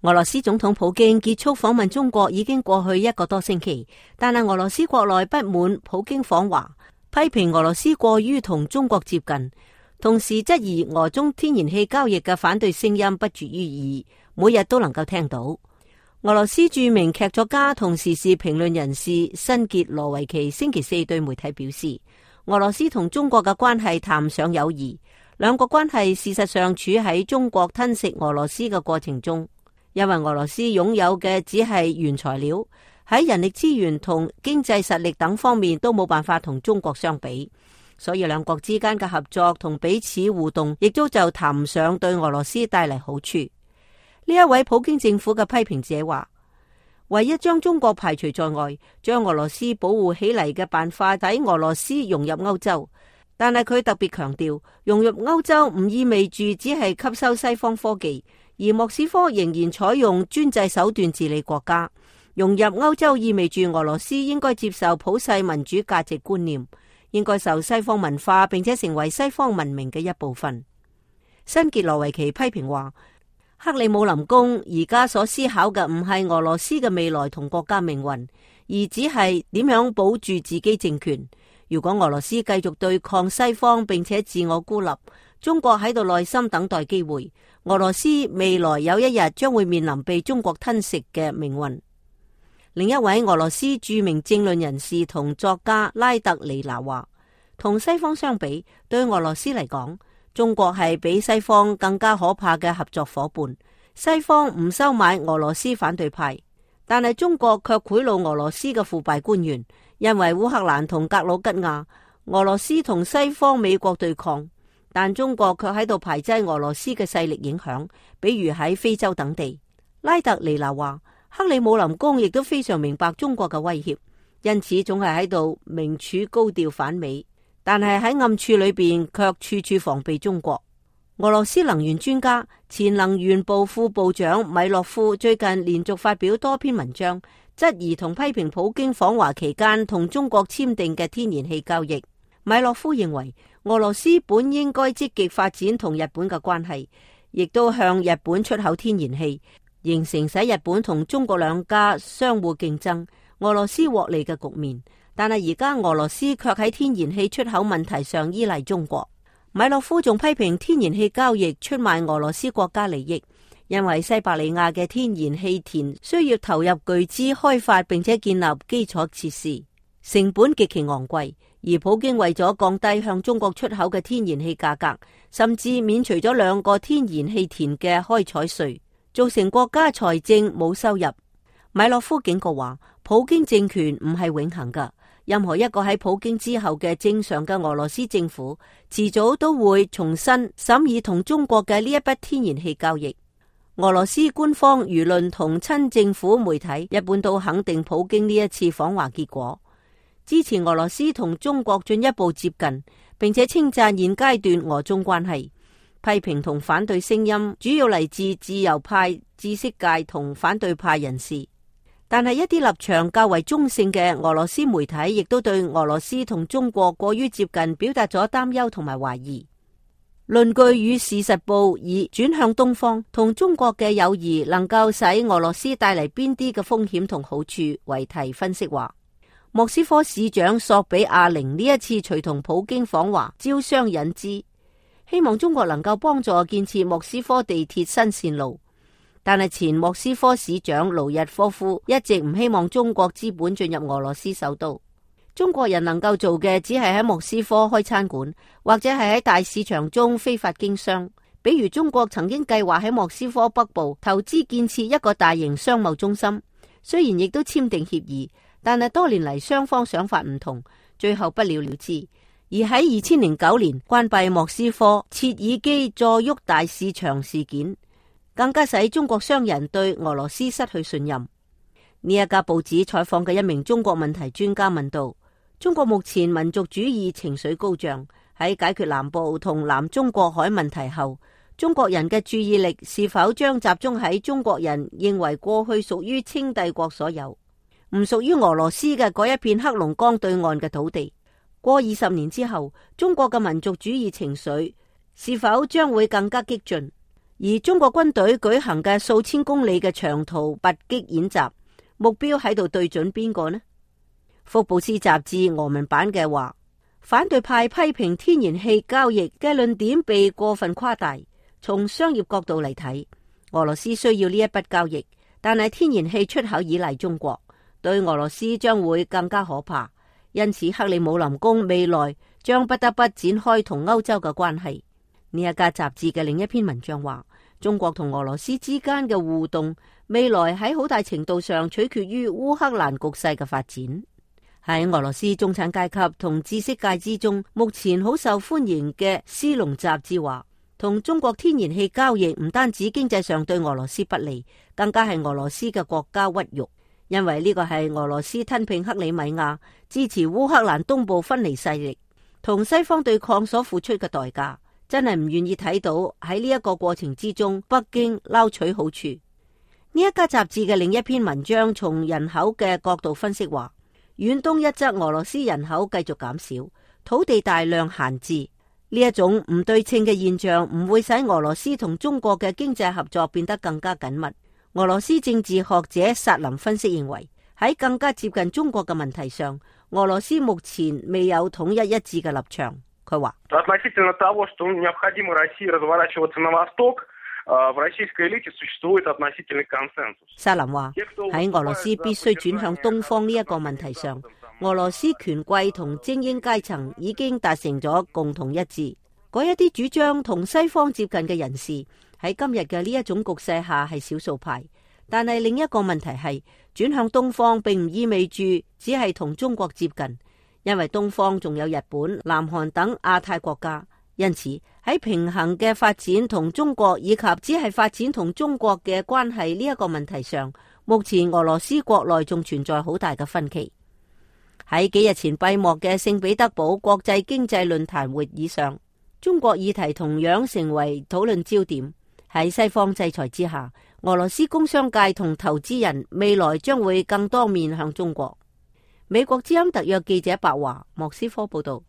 俄羅斯總統普京結束訪問中國已經過去1個多星期，但係俄羅斯國內不滿普京訪華，批評俄羅斯過於同中國接近，同時質疑俄中天然氣交易嘅反對聲音不絕於耳，每日都能夠聽到。俄羅斯著名劇作家同時事評論人士辛傑羅維奇星期四對媒體表示，俄羅斯同中國嘅關係談唔上友誼，兩國關係事實上處喺中國吞食俄羅斯嘅過程中。因為俄羅斯擁有嘅只係原材料，喺人力資源同經濟實力等方面都冇辦法同中國相比，所以兩國之間嘅合作同彼此互動亦都就談唔上對俄羅斯帶嚟好處。呢一位普京政府嘅批評者話，唯一將中國排除在外，將俄羅斯保護起嚟嘅辦法喺俄羅斯融入歐洲，但係佢特別強調，融入歐洲唔意味住只係吸收西方科技。而莫斯科仍然採用專制手段治理國家，融入歐洲意味住俄羅斯應該接受普世民主價值觀念，應該受西方文化，並且成為西方文明嘅一部分。辛傑羅維奇批評話，克里姆林宮而家所思考嘅唔係俄羅斯嘅未來同國家命運，而只係點樣保住自己政權。如果俄羅斯繼續對抗西方並且自我孤立，中國喺度耐心等待機會，俄羅斯未來有一日將會面臨被中國吞食嘅命運。另一位俄羅斯著名政論人士同作家拉特尼娜話，同西方相比，對俄羅斯嚟講，中國係比西方更加可怕嘅合作夥伴。西方唔收買俄羅斯反對派，但係中國卻賄賂俄羅斯嘅腐敗官員。因為烏克蘭同格魯吉亞，俄羅斯同西方美國對抗，但中國卻喺度排擠俄羅斯嘅勢力影響，比如喺非洲等地。拉特尼娜話，克里姆林宮亦都非常明白中國嘅威脅，因此總係喺度明處高調反美，但係喺暗處裏邊卻處處防備中國。俄羅斯能源專家、前能源部副部長米洛夫最近連續發表多篇文章，質疑同批評普京訪華期間同中國簽訂嘅天然氣交易。米洛夫認為，俄羅斯本應該積極發展同日本嘅關係，亦都向日本出口天然氣，形成使日本同中國兩家相互競爭、俄羅斯獲利嘅局面。但係而家俄羅斯卻喺天然氣出口問題上依賴中國。米洛夫仲批評天然氣交易出賣俄羅斯國家利益，因為西伯利亞嘅天然氣田需要投入巨資開發並且建立基礎設施，成本極其昂貴。而普京為咗降低向中國出口嘅天然氣價格，甚至免除咗2個天然氣田嘅開採稅，造成國家財政冇收入。米洛夫警告話，普京政權唔係永恆噶。任何一個喺普京之後嘅正常嘅俄羅斯政府，遲早都會重新審議同中國嘅呢一筆天然氣交易。俄羅斯官方輿論同親政府媒體一般都肯定普京呢一次訪華結果，支持俄羅斯同中國進一步接近，並且稱讚現階段俄中關係。批評同反對聲音主要嚟自自由派、知識界同反對派人士。但係一啲立場較為中性嘅俄羅斯媒體亦都對俄羅斯同中國過於接近表達咗擔憂同埋懷疑。論據與事實報以轉向東方同中國嘅友誼能夠使俄羅斯帶嚟邊啲嘅風險同好處為題分析話，莫斯科市長索比亞寧呢一次隨同普京訪華招商引資，希望中國能夠幫助建設莫斯科地鐵新線路。但係前莫斯科市長盧日科夫一直唔希望中國資本進入俄羅斯首都。中國人能夠做嘅只係喺莫斯科開餐館，或者係喺大市場中非法經商。比如中國曾經計劃喺莫斯科北部投資建設一個大型商貿中心，雖然亦都簽訂協議，但係多年嚟雙方想法唔同，最後不了了之。而喺2009年關閉莫斯科切爾基佐沃大市場事件，更加使中國商人對俄羅斯失去信任。呢一家報紙採訪嘅一名中國問題專家問道，中國目前民族主義情緒高漲，喺解決南部同南中國海問題後，中國人嘅注意力是否將集中喺中國人認為過去屬於清帝國所有，唔屬於俄羅斯嘅嗰一片黑龍江對岸嘅土地？過20年之後，中國嘅民族主義情緒是否將會更加激進？而中國軍隊舉行嘅數千公里嘅長途突擊演習，目標喺度對準邊個呢？福布斯雜誌俄文版嘅話，反對派批評天然氣交易嘅論點被過分誇大。從商業角度嚟睇，俄羅斯需要呢一筆交易，但係天然氣出口依賴中國，對俄羅斯將會更加可怕。因此，克里姆林宮未來將不得不展開同歐洲嘅關係。呢一家雜誌嘅另一篇文章話，中國同俄羅斯之間嘅互動未來喺好大程度上取決於烏克蘭局勢嘅發展。喺俄羅斯中產階級同知識界之中，目前好受歡迎嘅斯隆雜誌話，同中國天然氣交易唔單止經濟上對俄羅斯不利，更加係俄羅斯嘅國家屈辱，因為呢個係俄羅斯吞併克里米亞、支持烏克蘭東部分離勢力同西方對抗所付出嘅代價，真係唔願意睇到喺呢一個過程之中，北京撈取好處。呢一家雜誌嘅另一篇文章從人口嘅角度分析話，遠東一側俄羅斯人口繼續減少，土地大量閒置，呢一種唔對稱嘅現象唔會使俄羅斯同中國嘅經濟合作變得更加緊密。俄羅斯政治學者薩林分析認為，喺更加接近中國嘅問題上，俄羅斯目前未有統一一致嘅立場。佢話，薩林話喺俄羅斯必須轉向東方呢一個問題上，俄羅斯權貴同精英階層已經達成咗共同一致。嗰一啲主張同西方接近嘅人士喺今日嘅呢一種局勢下係少數派，但係另一個問題係轉向東方並唔意味住只係同中國接近，因為東方仲有日本、南韓等亞太國家，因此喺平衡嘅發展同中國以及只係發展同中國嘅關係呢一個問題上，目前俄羅斯國內仲存在好大嘅分歧。喺幾日前閉幕嘅聖彼得堡國際經濟論壇會議上，中國議題同樣成為討論焦點。喺西方制裁之下，俄羅斯工商界同投資人未來將會更多面向中國。美國之音特約記者白華莫斯科報道。